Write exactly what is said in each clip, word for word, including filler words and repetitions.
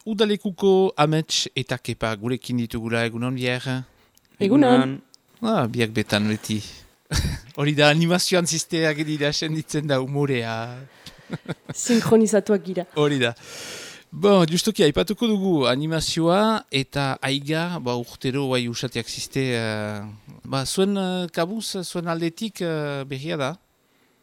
Udalekuko Amets eta Kepa gurekin ditugula egunon bier. Egunon. Ah, biak betan beti. Hori da animazioan zizteak dira senditzen da humorea. Sinkronizatuak gira. Hori da. Bon, justoki, aipatuko dugu animazioa eta aiga, ba, urtero bai usateak zizte. Uh, ba, zuen uh, kabuz, zuen aldetik uh, berria da?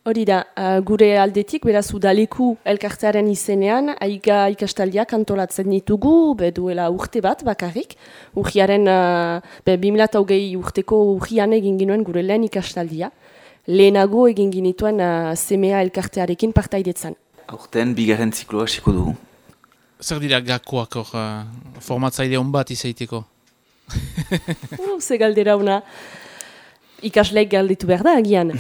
Hori da, uh, gure aldetik, beraz udaleku elkartearen izenean, aiga ikastaldiak antolatzen ditugu, be duela urte bat bakarrik. Urriaren, uh, be bi mila hogei urteko urrian egin ginuen gure lehen ikastaldia. Lehenago egin ginituen uh, semea elkartearekin partaidetzan. Aurten bigarren zikloa hasiko dugu. Zer dira gakoak hor, uh, formatzaile hon bat izaiteko? uh, ze galdera una. Ikasleek galditu behar da, agian.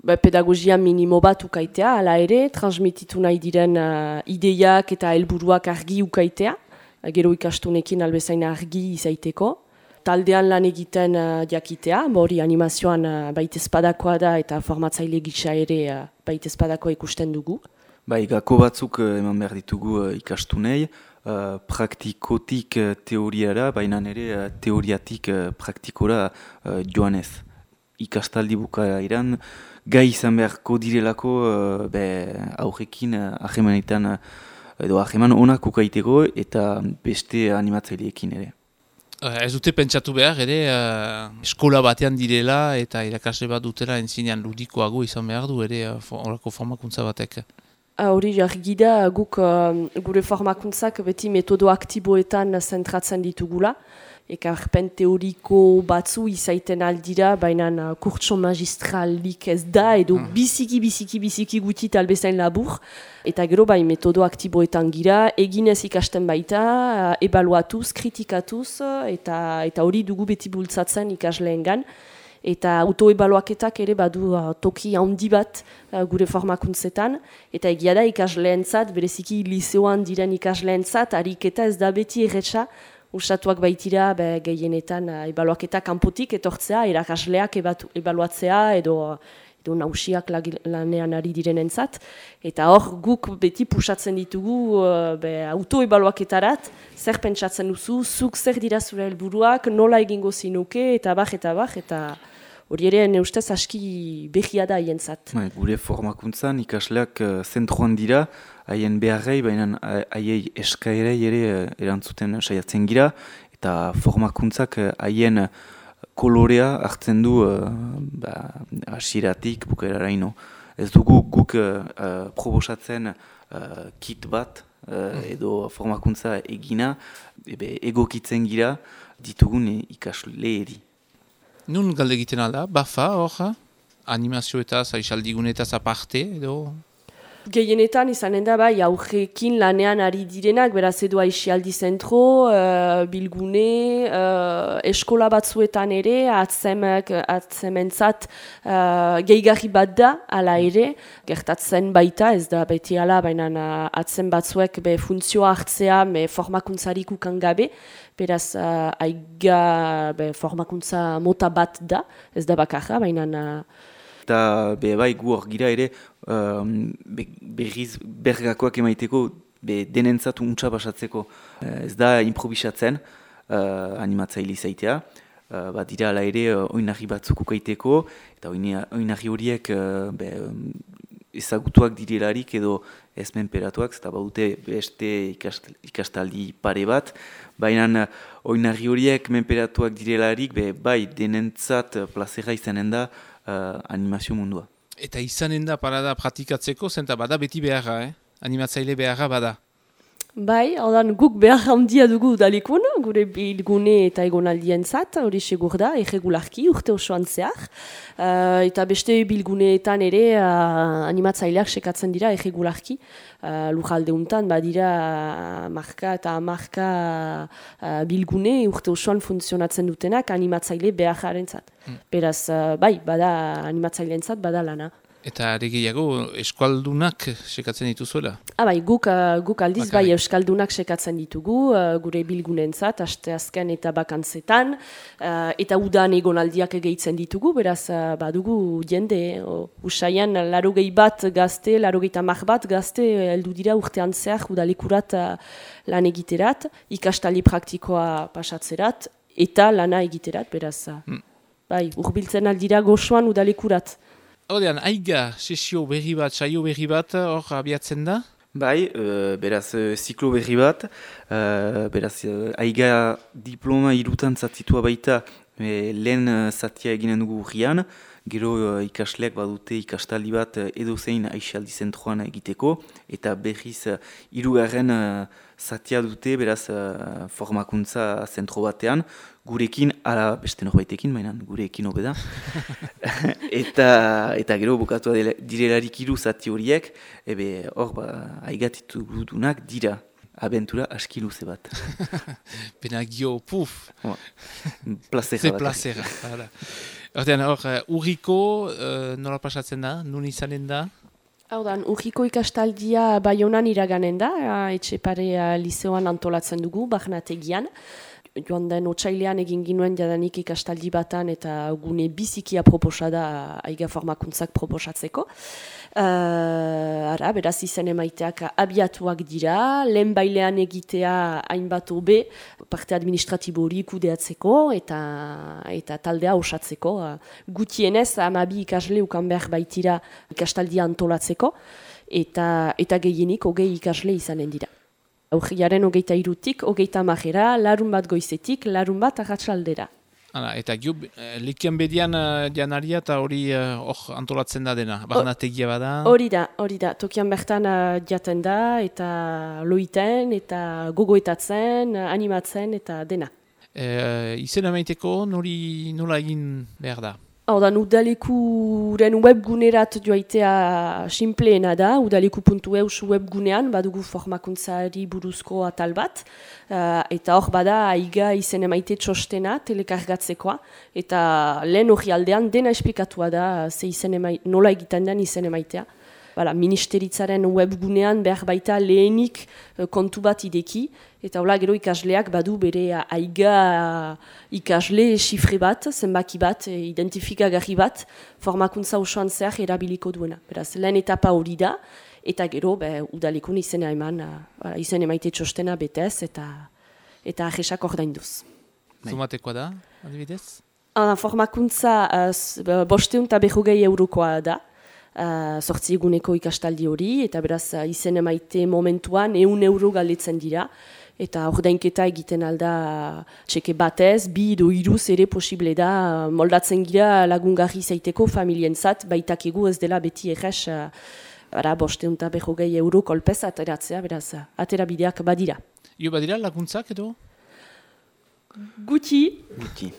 Ba, pedagogia minimo bat ukaitea, ala ere, transmititu nahi diren uh, ideiak eta helburuak argi ukaitea, gero ikastunekin albezain argi izaiteko. Taldean lan egiten uh, jakitea, hori animazioan uh, baitezpadakoa da eta formatzaile gisa ere uh, baitezpadakoa ikusten dugu. Bai, gako batzuk uh, eman behar ditugu uh, ikastunei, uh, praktikotik uh, teoriara, baina ere uh, teoriatik uh, praktikora uh, joanez. Ikastaldi bukaeran, gai izan beharko direlako uh, be, aurrekin uh, ahemanetan uh, edo aheman onak ukaiteko eta beste animatzaileekin ere. Uh, ez dute pentsatu behar ere uh, eskola batean direla eta irakasle bat dutela entzinean ludikoago izan behar du ere horako uh, formakuntza batek. Hori jargi da guk uh, gure formakuntzak beti metodo aktiboetan zentratzen ditugula. Ekarpen teoriko batzu izaiten aldira, baina uh, kurtso magistralik ez da, edo mm. biziki, biziki, biziki guti talbezain labur. Eta gero bai metodo aktiboetan gira, eginez ikasten baita, uh, ebaluatuz, kritikatuz, eta eta hori dugu beti bultzatzen ikasleengan. Eta autoebaluaketak ere badu uh, toki handi bat uh, gure formakuntzetan. Eta egia da ikasleentzat, bereziki liseoan diren ikasleentzat, ariketa ez da beti erretxa, Usatuak baitira be, gehienetan uh, ebaluaketa kanpotik etortzea, erakasleak ebatu, ebaluatzea edo, edo nausiak lanean ari direnentzat. Eta hor guk beti pusatzen ditugu uh, be, autoebaluaketarat, zer pentsatzen duzu, zuk zer dira zure helburuak, nola egingo zinuke, eta bax, eta bax, eta hori ere ne ustez aski behia da haientzat. Gure formakuntzan ikasleak uh, zentruan dira, haien beharrei, baina haiei eskaerei ere erantzuten saiatzen gira, eta formakuntzak haien kolorea hartzen du uh, ba, asiratik bukaeraraino. Ez dugu guk uh, proposatzen uh, kit bat, uh, edo formakuntza egina, ebe, egokitzen gira ditugun ikasleeri. Nun galde egiten alda, bafa hor, animazioetaz, aizaldigunetaz aparte, edo... Gehienetan izanen da bai aurrekin lanean ari direnak, beraz edo aixialdi zentro, uh, bilgune, uh, eskola batzuetan ere, atzemek, atzementzat uh, gehigarri bat da, ala ere, gertatzen baita, ez da beti ala, baina uh, atzen batzuek be funtzioa hartzea, be formakuntzarik ukan gabe, beraz uh, aiga be, formakuntza mota bat da, ez da bakarra, baina... Uh, Eta be, bai gu hor gira ere um, be, berriz bergakoak emaiteko be, denentzat untsa basatzeko. Uh, ez da improvisatzen uh, animatzaile izaitea. Uh, bat dira ala ere uh, oinarri batzuk ukaiteko eta oinarri horiek uh, be, um, ezagutuak direlarik edo ez menperatuak, eta badute beste ikastaldi pare bat. Baina uh, oinarri horiek menperatuak direlarik be, bai denentzat plazera izanen da Uh, animazio mundua. Eta izanen da parada pratikatzeko, zenta bada beti beharra, eh? Animatzaile beharra bada. Bai, ordan guk behar handia dugu udalekun, gure bilgune eta egonaldientzat, hori segur da, erregularki, urte osoan zehar. Uh, eta beste bilguneetan ere uh, animatzaileak sekatzen dira erregularki. Uh, Lujalde untan, badira uh, marka eta marka uh, bilgune urte osoan funtzionatzen dutenak animatzaile beharrentzat. Mm. Beraz, uh, bai, bada animatzaileentzat bada lana. Eta are gehiago, eskualdunak sekatzen dituzuela? Ah, bai, guk, uh, guk aldiz Bakarrik. bai euskaldunak sekatzen ditugu, uh, gure bilgunentzat, aste azken eta bakantzetan, uh, eta udan egonaldiak gehitzen ditugu, beraz uh, badugu jende, uh, usaian larogei bat gazte, larogei tamar bat gazte heldu dira urtean zehar udalekurat uh, lan egiterat, ikastali praktikoa pasatzerat, eta lana egiterat, beraz, uh, hmm. bai, urbiltzen aldira gozoan udalekurat. Hordean, aiga, sesio berri bat, saio berri bat, hor abiatzen da? Bai, uh, beraz, uh, ziklo berri bat, uh, beraz, uh, aiga diploma irutan zatitua baita, e, lehen uh, zatia eginen dugu urrian, gero uh, ikasleak badute ikastaldi bat uh, edozein aixaldi zentroan egiteko, eta berriz uh, hirugarren uh, zatia dute, beraz, uh, formakuntza zentro batean, gurekin, ala beste norbaitekin, mainan gurekin hobeda. eta, eta gero bukatua direlarik hiru zati horiek, ebe hor ba, aigatitu gudunak dira. Abentura aski luze bat. Benagio, puf! Oh, plazera Ze bat. plazera. Hortean, hor, uh, urriko, uh, nola pasatzen da? Nun izanen da? Hau da, urriko ikastaldia Baionan iraganen da, Etxepare liseoan antolatzen dugu, Barnategian. Joan den otsailean egin ginuen jadanik ikastaldi batan eta gune bizikia proposa da aiga formakuntzak proposatzeko. Uh, ara, beraz izen emaiteak abiatuak dira, lehen bailean egitea hainbat hobe, parte administratibo hori kudeatzeko eta, eta taldea osatzeko. Uh, gutienez, hamabi ikasle ukan behar baitira ikastaldia antolatzeko, eta, eta gehienik hogei ikasle izanen dira. Aurriaren hogeita irutik, hogeita majera, larun bat goizetik, larun bat arratsaldera. Hala, eta gio, likian bedian uh, janaria eta hori hor uh, antolatzen da dena, barnategia bada? Hori da, hori da, tokian bertan uh, jaten da, eta loiten, eta gogoetatzen, uh, animatzen, eta dena. E, izen emaiteko nori nola egin behar da? Hau da, udalekuren webgunerat joaitea sinpleena da, udaleku puntu eus webgunean, badugu formakuntzari buruzko atal bat, uh, eta hor bada aiga izen emaite txostena, telekargatzekoa, eta lehen hori aldean dena esplikatua da, ze izen emaite, nola egiten den izen emaitea. Bala, ministeritzaren webgunean behar baita lehenik uh, kontu bat ideki, eta hola gero ikasleak badu bere aiga ikasle xifre bat, zenbaki bat, identifikagarri bat, formakuntza osoan zehar erabiliko duena. Beraz, lehen etapa hori da, eta gero be, udalekun izena eman, uh, izen emaite txostena betez, eta eta ajesak ordainduz. Zumatekoa da, adibidez? Uh, formakuntza uh, bosteun eta berrogei eurokoa da, Uh, sortzi eguneko ikastaldi hori, eta beraz uh, izen emaite momentuan ehun euro galdetzen dira, eta ordainketa egiten alda txeke batez, bi edo hiruz ere posible da, uh, moldatzen gira lagungarri zaiteko familientzat, baitak egu ez dela beti errez, uh, ara bosteun eta berrogei euro kolpez ateratzea, beraz, uh, atera bideak badira. Jo badira laguntzak edo? Guti. Guti.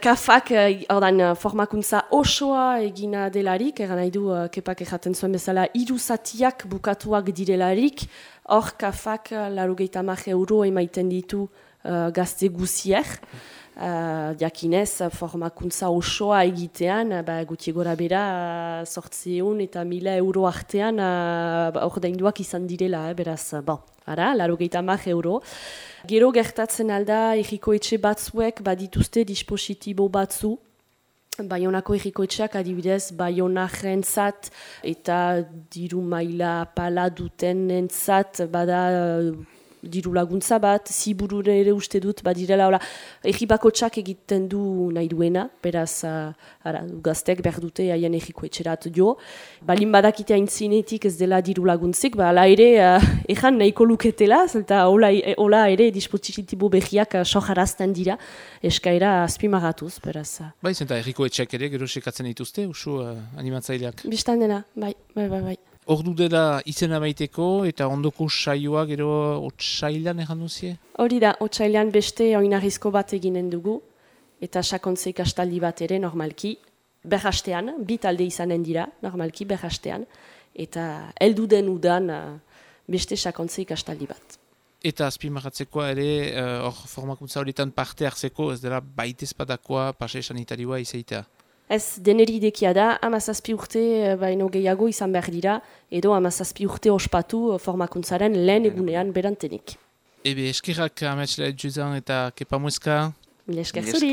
Kafak, ordan, formakuntza osoa egina delarik, eran nahi du, kepak erraten zuen bezala, hiru zatiak bukatuak direlarik, hor kafak laurogeita hamar euro emaiten ditu uh, gazte guziek, uh, jakinez formakuntza osoa egitean, ba, guti gora bera, sortzeun eta mila euro artean, uh, ordainduak izan direla, eh, beraz, bon, ara, laurogeita hamar euro. Gero gertatzen alda, erriko etxe batzuek badituzte dispositibo batzu, Baionako erriko etxeak adibidez, Baionaren zat eta diru maila pala duten entzat, bada diru laguntza bat, ziburure ere uste dut, badirela, hola, erri bakotxak egiten du nahi duena, beraz, uh, ara, gaztek behar dute haien erriko etxerat jo. Balin badakite aintzinetik ez dela diru laguntzik, ba, ala ere, uh, ejan nahiko luketela, eta hola, hola ere dispositibo behiak uh, sojarazten dira, eskaera azpimagatuz, beraz. Uh. Bai, zenta erriko etxeak ere, gero sekatzen dituzte, usu uh, animatzaileak. Bistan dena, bai, bai, bai, bai. Ordu dela izena baiteko eta ondoko saioa gero otsailan egan duzie? Hori da, otsailan beste oinarrizko bat eginen dugu eta sakontze ikastaldi bat ere normalki berrastean, bi talde izanen dira normalki berrastean eta heldu den udan beste sakontze ikastaldi bat. Eta azpimarratzekoa ere, hor uh, formakuntza horietan parte hartzeko ez dela baitezpadakoa pase sanitarioa izaitea? Ez, deneri idekia da, hamazazpi urte baino gehiago izan behar dira, edo hamazazpi urte ospatu formakuntzaren lehen egunean berantenik. Ebe eskerrak ametxela juzan eta kepa mueska. Mil esker zuri.